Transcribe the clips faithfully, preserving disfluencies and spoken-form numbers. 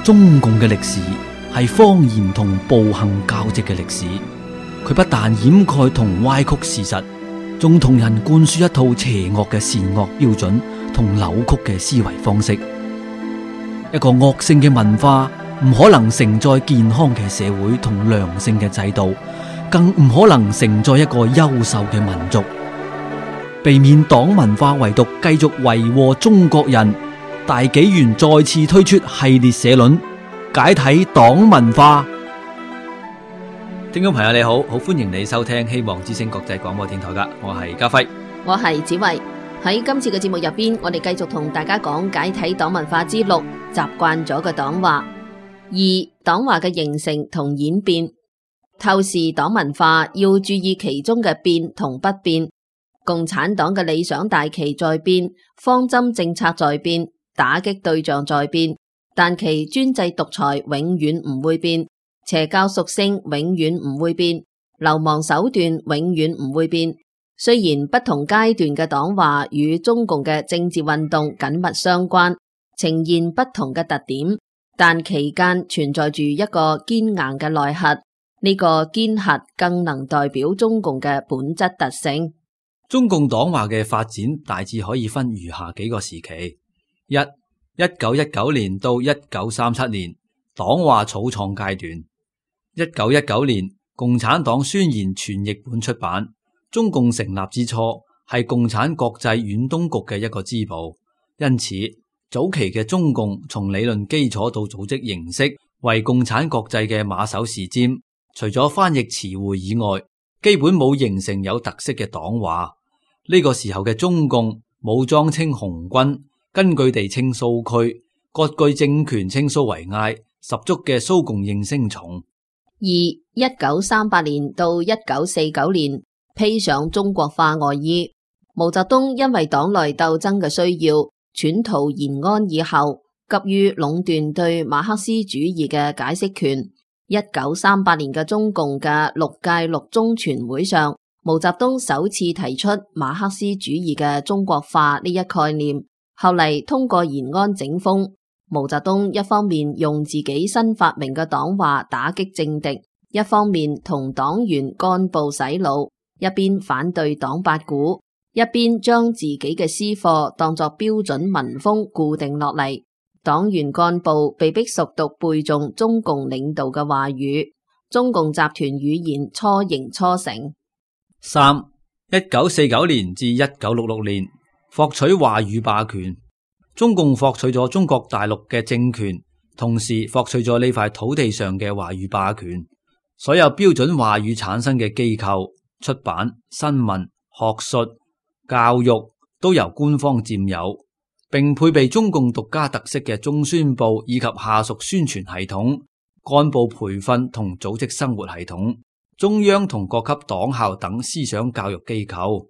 中共嘅歷史係謊言同暴行交織嘅歷史，佢不但掩蓋同歪曲事實，仲同人灌輸一套邪惡嘅善惡標準同扭曲嘅思維方式。一個惡性嘅文化唔可能承載健康嘅社會同良性嘅制度，更唔可能承載一個優秀嘅民族。避免黨文化遺毒繼續為禍中國人，大紀元再次推出系列社論，解體黨文化。聽眾朋友你好，好歡迎你收聽希望之聲國際廣播電台噶，我係家輝，我係子慧。喺今次嘅節目入邊，我哋繼續同大家講解體黨文化之六，習慣咗嘅黨話。二、黨話嘅形成同演變。透視黨文化要注意其中嘅變同不變。共產黨嘅理想大旗在變，方針政策在變，打擊對象在變，但其專制獨裁永遠唔會變，邪教屬性永遠唔會變，流氓手段永遠唔會變。雖然不同階段嘅黨話與中共嘅政治運動緊密相關，呈現不同嘅特點，但期間存在住一個堅硬嘅內核，呢個堅核更能代表中共嘅本質特性。中共黨話嘅發展大致可以分如下幾個時期：一、一九一九年到一九三七年，黨話草創階段。一九一九年，共產黨宣言全譯本出版。中共成立之初係共產國際遠東局嘅一個支部，因此早期嘅中共從理論基礎到組織形式為共產國際嘅馬首是瞻，除咗翻譯詞彙以外，基本冇形成有特色嘅黨話。呢個時候嘅中共武裝稱紅軍，根據地稱蘇區，割據政權稱蘇維埃，十足嘅蘇共應聲蟲。二、一九三八年到一九四九年，披上中國化外衣。毛澤東因為黨內鬥爭嘅需要，竄逃延安以後，急於壟斷對馬克思主義嘅解釋權。一九三八年嘅中共嘅六屆六中全會上，毛澤東首次提出馬克思主義嘅中國化呢一概念，後嚟通過延安整風。毛澤東一方面用自己新發明嘅黨話打擊政敵，一方面同黨員幹部洗腦，一邊反對黨八股，一邊將自己嘅師課當作標準文風固定落嚟。黨員幹部被迫熟讀背誦中共領導嘅話語，中共集團語言初形初成。三、一九四九年至一九六六年，獲取話語霸權。中共獲取咗中國大陸嘅政權，同時獲取咗呢塊土地上嘅話語霸權。所有標準話語產生嘅機構、出版、新聞、學術、教育都由官方佔有，並配備中共獨家特色嘅中宣部以及下屬宣傳系統、幹部培訓同組織生活系統、中央同各級黨校等思想教育機構。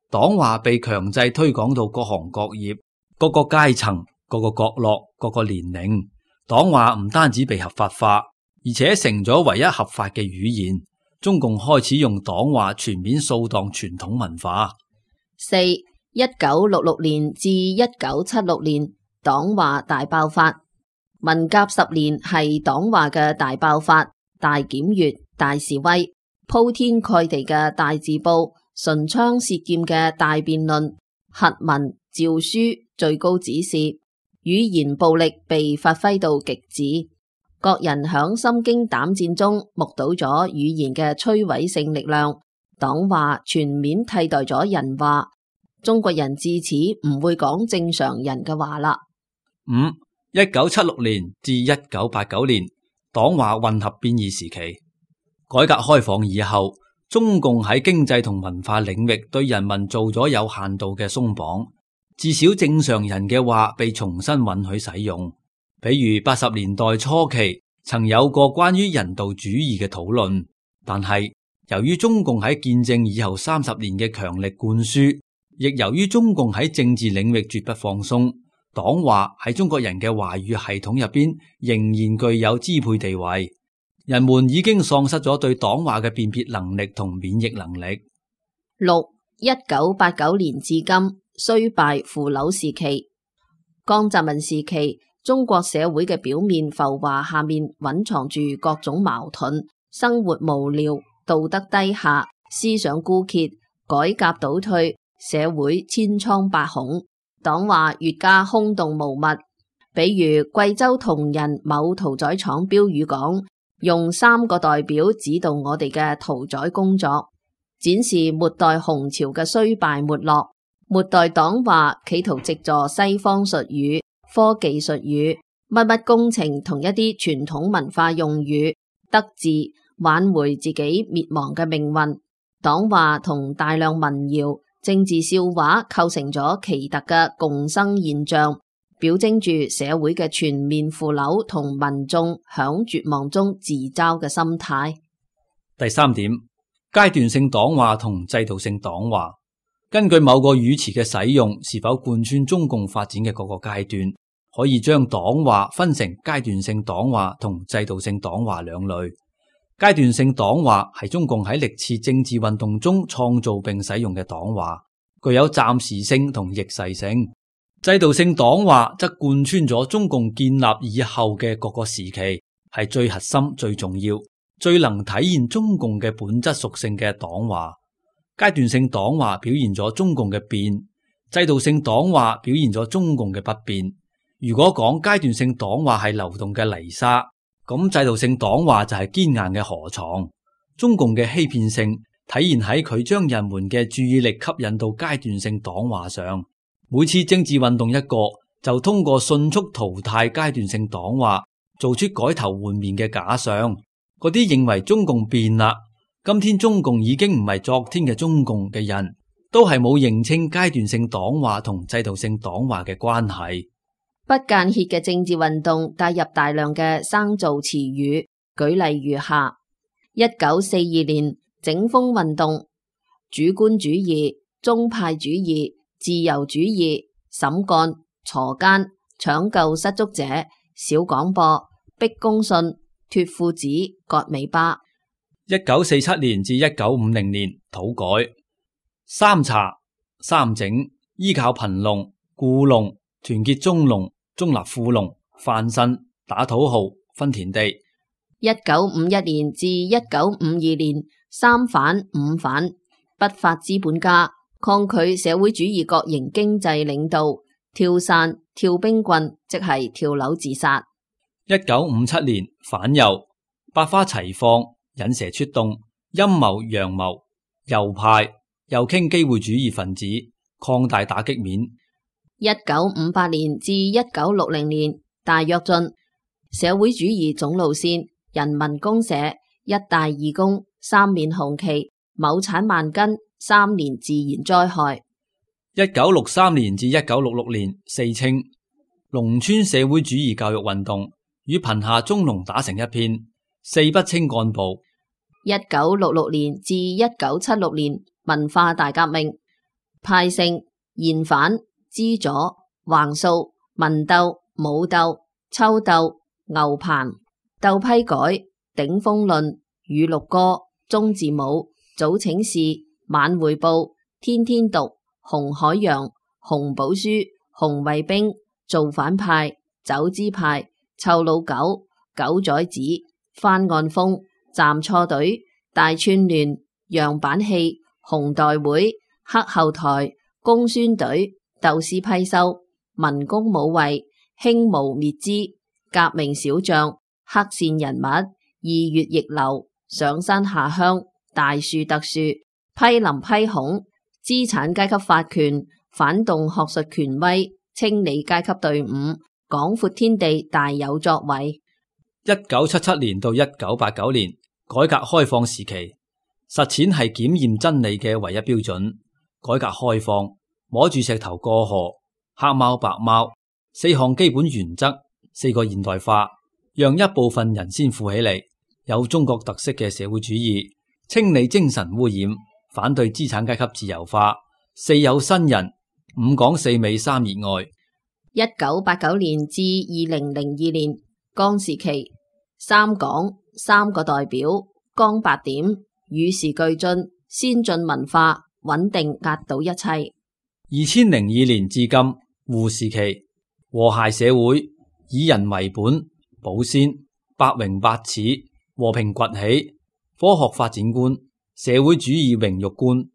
黨話被強制推廣到各行各業、各個階層、各個角落、各個年齡。黨話唔單止被合法化，而且成咗唯一合法嘅語言。中共開始用黨話全面掃蕩傳統文化。四、一九六六年至一九七六年，黨話大爆發。文革十年係黨話嘅大爆發、大檢閱、大示威，鋪天蓋地嘅大字報、唇槍舌劍嘅大辯論、檄文、詔書、最高指示，語言暴力被發揮到極致。各人響心驚膽戰中目睹咗語言嘅摧毀性力量，黨話全面替代咗人話，中國人自此唔會講正常人嘅話啦。五、一九七六年至一九八九年，黨話混合變異時期。改革開放以後，中共喺經濟同文化領域對人民做咗有限度嘅鬆綁，至少正常人嘅話被重新允許使用。比如八十年代初期曾有過關於人道主義嘅討論，但係由於中共喺建政以後三十年嘅強力灌輸，亦由於中共喺政治領域絕不放鬆，黨話喺中國人嘅話語系統入邊仍然具有支配地位。人們已經喪失咗對黨話嘅辨別能力同免疫能力。六、一九八九年至今，衰敗腐朽時期。江澤民時期，中國社會嘅表面浮華下面蘊藏住各種矛盾，生活無聊，道德低下，思想枯竭，改革倒退，社會千瘡百孔，黨話越加空洞無物。比如貴州銅仁某屠宰廠標語講，用三個代表指導我哋嘅屠宰工作，展示末代洪朝嘅衰敗沒落。末代黨話企圖藉助西方術語、科技術語、乜乜工程同一啲傳統文化用語，得志挽回自己滅亡嘅命運。黨話同大量民謠、政治笑話構成咗奇特嘅共生現象，表徵住社會嘅全面腐朽同民眾響絕望中自嘲嘅心態。第三點，階段性黨話同制度性黨話。根據某個語詞嘅使用，是否貫穿中共發展嘅各個階段，可以將黨話分成階段性黨話同制度性黨話兩類。階段性黨話係中共喺歷次政治運動中創造並使用嘅黨話，具有暫時性同逆勢性。制度性黨話則貫穿咗中共建立以後嘅各個時期，係最核心、最重要、最能體現中共嘅本質屬性嘅黨話。階段性黨話表現咗中共嘅變，制度性黨話表現咗中共嘅不變。如果講階段性黨話係流動嘅泥沙，咁制度性黨話就係堅硬嘅河床。中共嘅欺騙性體現喺佢將人們嘅注意力吸引到階段性黨話上。每次政治運動一個，就通過迅速淘汰階段性黨話，做出改頭換面嘅假象。嗰啲認為中共變啦，今天中共已經唔係昨天嘅中共嘅人，都係冇認清階段性黨話同制度性黨話嘅關係。不間歇嘅政治運動帶入大量嘅生造詞語，舉例如下：一九四二年整風運動、主觀主義、宗派主義、自由主義、審幹、鋤奸、搶救失足者、小廣播、逼公信、脫褲子、割尾巴。一九四七年至一九五零年土改、三查、三整，依靠貧農、僱農、團結中農、中立富農、翻身、打土豪、分田地。一九五一年至一九五二年三反五反，不法資本家抗拒社會主義國營經濟領導，跳傘、跳冰棍，即係跳樓自殺。一九五七年反右，百花齊放，引蛇出洞，陰謀陽謀，右派右傾機會主義分子，擴大打擊面。一九五八年至一九六零年大躍進，社會主義總路線，人民公社，一大義工，三面紅旗，畝產萬斤，三年自然災害。一九六三年至一九六六年四清，農村社會主義教育運動，與貧下中農打成一片。四不清幹部。一九六六年至一九七六年文化大革命，派性、現反、資左、橫掃、文鬥、武鬥、秋鬥、牛棚、鬥批改、頂風論、語錄歌、中字舞、早請示、晚匯報、天天讀、紅海洋、紅寶書、紅衛兵、造反派、走資派、臭老狗、狗崽子、翻案風、站錯隊、大串聯、樣板戲、紅代會、黑後台、公宣隊、鬥私批修、民工武衛、興無滅資、革命小將、黑線人物、二月逆流、上山下鄉、大樹特樹、批林批孔、資產階級法權、反動學術權威、清理階級隊伍、廣闊天地大有作為。一九七七年到一九八九年，改革開放時期，實踐係檢驗真理嘅唯一標準。改革開放，摸住石頭過河，黑貓白貓，四項基本原則，四個現代化，讓一部分人先富起嚟，有中國特色嘅社會主義，清理精神污染，反對資產階級自由化，四有新人，五講四美三熱愛。一九八九年至二零零二年，江時期。三講，三個代表，光八點，與時俱進，先進文化，穩定壓倒一切。二千零二年至今，胡時期，和諧社會，以人為本，保鮮，百榮百恥，和平崛起，科學發展觀，社會主義榮辱觀。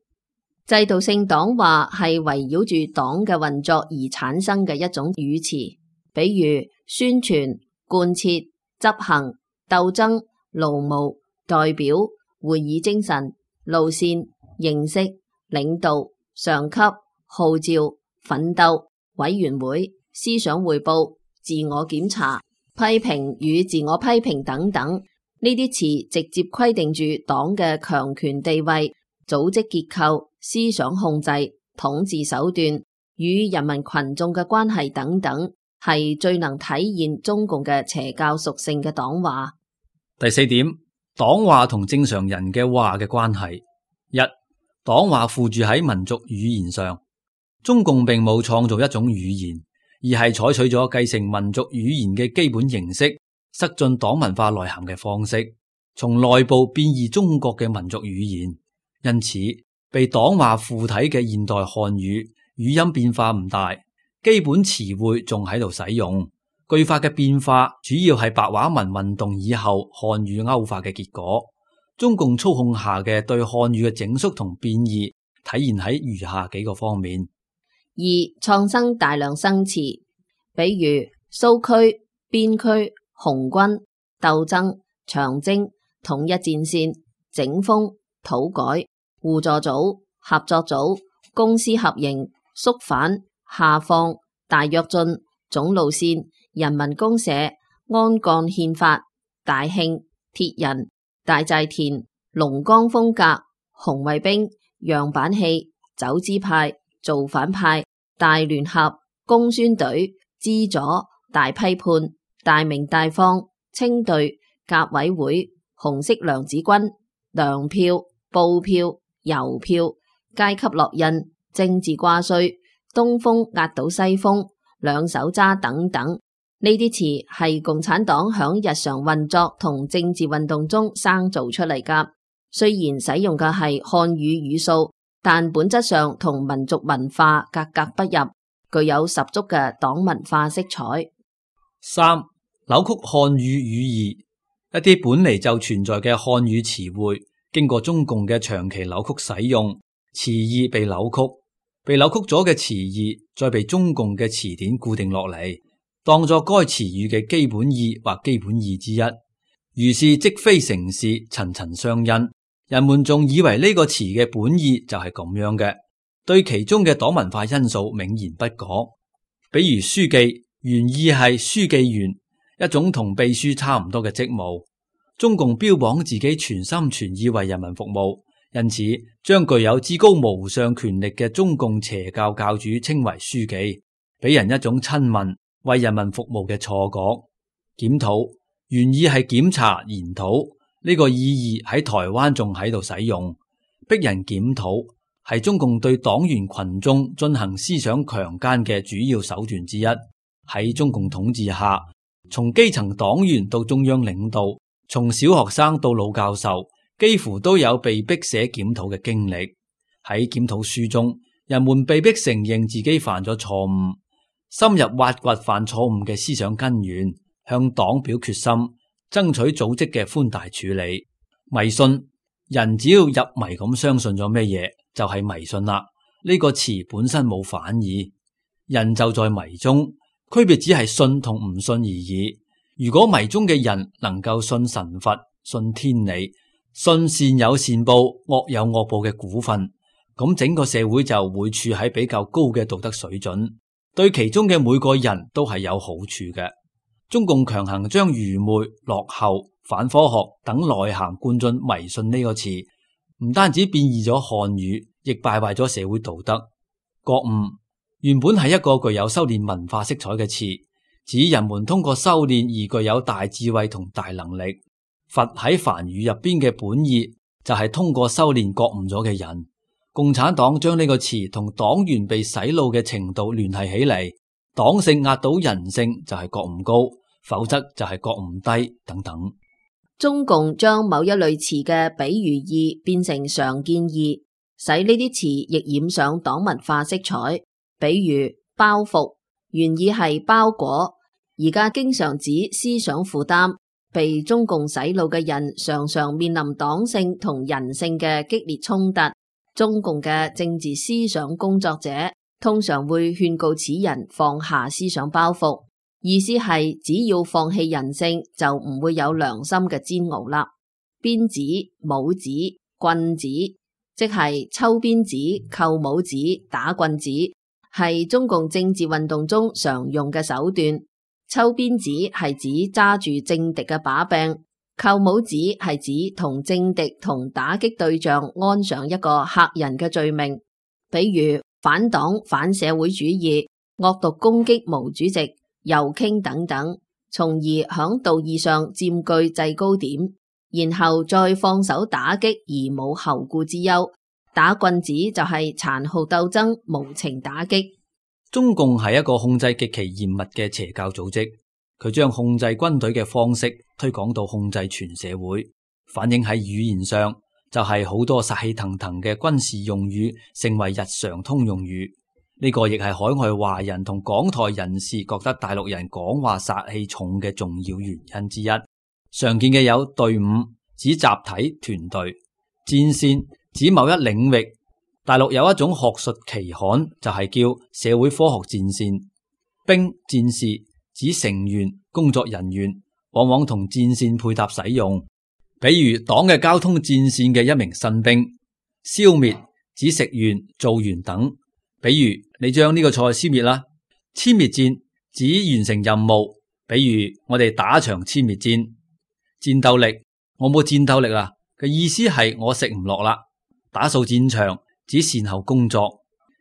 制度性黨話係圍繞住黨嘅運作而產生嘅一種語詞，比如宣傳、貫徹、執行、鬥爭、勞務、代表、會議精神、路線、認識、領導、上級、號召、奮鬥、委員會、思想匯報、自我檢查、批評與自我批評等等。呢啲詞直接規定住黨嘅強權地位、組織結構、思想控制、統治手段與人民群眾嘅關係等等，係最能體現中共嘅邪教屬性嘅黨話。第四點，黨話同正常人嘅話嘅關係。一、黨話附住喺民族語言上，中共並冇創造一種語言，而係採取咗繼承民族語言嘅基本形式，塞進黨文化內涵嘅方式，從內部變異中國嘅民族語言。因此，被黨話附體嘅現代漢語語音變化唔大，基本詞彙仲喺度使用，句法嘅變化主要係白話文運動以後漢語歐化嘅結果。中共操控下嘅對漢語嘅整肅同變異，體現喺如下幾個方面：二、創生大量新詞，比如蘇區、邊區、紅軍、鬥爭、長征、統一戰線、整風、土改、互助組、合作組、公私合營、肅反、下放、大躍進、總路線、人民公社、安幹憲法、大慶、鐵人、大寨田、龍江風格、紅衛兵、樣板戲、走資派、造反派、大聯合、公宣隊、資左、大批判、大鳴大放、清隊、革委會、紅色娘子軍、糧票、布票、郵票、階級烙印、政治掛帥、東風壓倒西風、兩手揸等等。呢啲詞係共產黨響日常運作同政治運動中生造出嚟噶。雖然使用嘅係漢語語數，但本質上同民族文化格格不入，具有十足嘅黨文化色彩。三、扭曲漢語語義，一啲本嚟就存在嘅漢語詞彙，經過中共嘅長期扭曲使用，詞義被扭曲，被扭曲咗嘅詞義再被中共嘅詞典固定落嚟，當作該詞語嘅基本意或基本義之一。如是即非成事，層層相因，人們仲以為呢個詞嘅本意就係咁樣嘅，對其中嘅黨文化因素銘然不講。比如書記原意係書記員，一種同秘書差唔多嘅職務。中共標榜自己全心全意為人民服務，因此將具有至高無上權力嘅中共邪教教主稱為書記，俾人一種親民為人民服務嘅錯覺。檢討原意係檢查研討，呢個意義喺台灣仲喺度使用。逼人檢討係中共對黨員群眾進行思想強姦嘅主要手段之一。喺中共統治下，從基層黨員到中央領導，從小學生到老教授，幾乎都有被逼寫檢討嘅經歷。喺檢討書中，人們被逼承認自己犯咗錯誤，深入挖掘犯錯誤嘅思想根源，向黨表決心，爭取組織嘅寬大處理。迷信，人只要入迷咁相信咗咩嘢，就係迷信啦。呢個詞本身冇反義，人就在迷中，區別只係信同唔信而已。如果迷中嘅人能夠信神佛、信天理、信善有善報、惡有惡報嘅股份，咁整個社會就會處喺比較高嘅道德水準，對其中嘅每個人都係有好處嘅。中共強行將愚昧、落後、反科學等內涵灌進迷信呢個詞，唔單止變異咗漢語，亦敗壞咗社會道德。覺悟原本係一個具有修煉文化色彩嘅詞，指人們通過修煉而具有大智慧同大能力。佛喺梵語入邊嘅本意就係通過修煉覺悟咗嘅人。共產黨將呢個詞同黨員被洗腦嘅程度聯繫起嚟，黨性壓倒人性就係覺悟高，否則就係覺悟低等等。中共將某一類詞嘅比喻義變成常見義，使呢啲詞亦染上黨文化色彩。比如包袱，原意係包裹，而家經常指思想負擔，被中共洗腦嘅人常常面臨黨性同人性嘅激烈衝突。中共嘅政治思想工作者通常會勸告此人放下思想包袱，意思係只要放棄人性，就唔會有良心嘅煎熬啦。鞭子、帽子、棍子，即係抽鞭子、扣帽子、打棍子，係中共政治運動中常用嘅手段。抽鞭子係指揸住政敵嘅把柄，扣帽子係指同政敵同打擊對象安上一個嚇人嘅罪名，比如反黨、反社會主義、惡毒攻擊毛主席、右傾等等，從而響道義上佔據制高點，然後再放手打擊而冇後顧之憂。打棍子就係殘酷鬥爭、無情打擊。中共係一個控制極其嚴密嘅邪教組織，佢將控制軍隊嘅方式推廣到控制全社會，反映喺語言上就係好多殺氣騰騰嘅軍事用語成為日常通用語。呢個亦係海外華人同港台人士覺得大陸人講話殺氣重嘅重要原因之一。常見嘅有隊伍指集體團隊，戰線指某一領域。大陸有一種學術期刊就係叫社會科學戰線。兵戰士指成員工作人員，往往同戰線配搭使用。比如黨嘅交通戰線嘅一名新兵。消滅指食完做完等。比如你將呢個菜消滅啦。殲滅戰指完成任務，比如我哋打場殲滅戰。戰鬥力我冇戰鬥力啊嘅意思係我食唔落啦。打掃戰場指善後工作。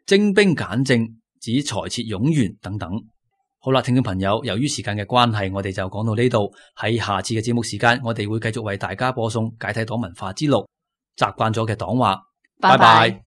精兵簡政指裁撤冗員等等。好啦，聽眾朋友，由於時間嘅關係，我哋就講到呢度。喺下次嘅節目時間，我哋會繼續為大家播送解體黨文化之路，習慣咗嘅黨話。拜拜。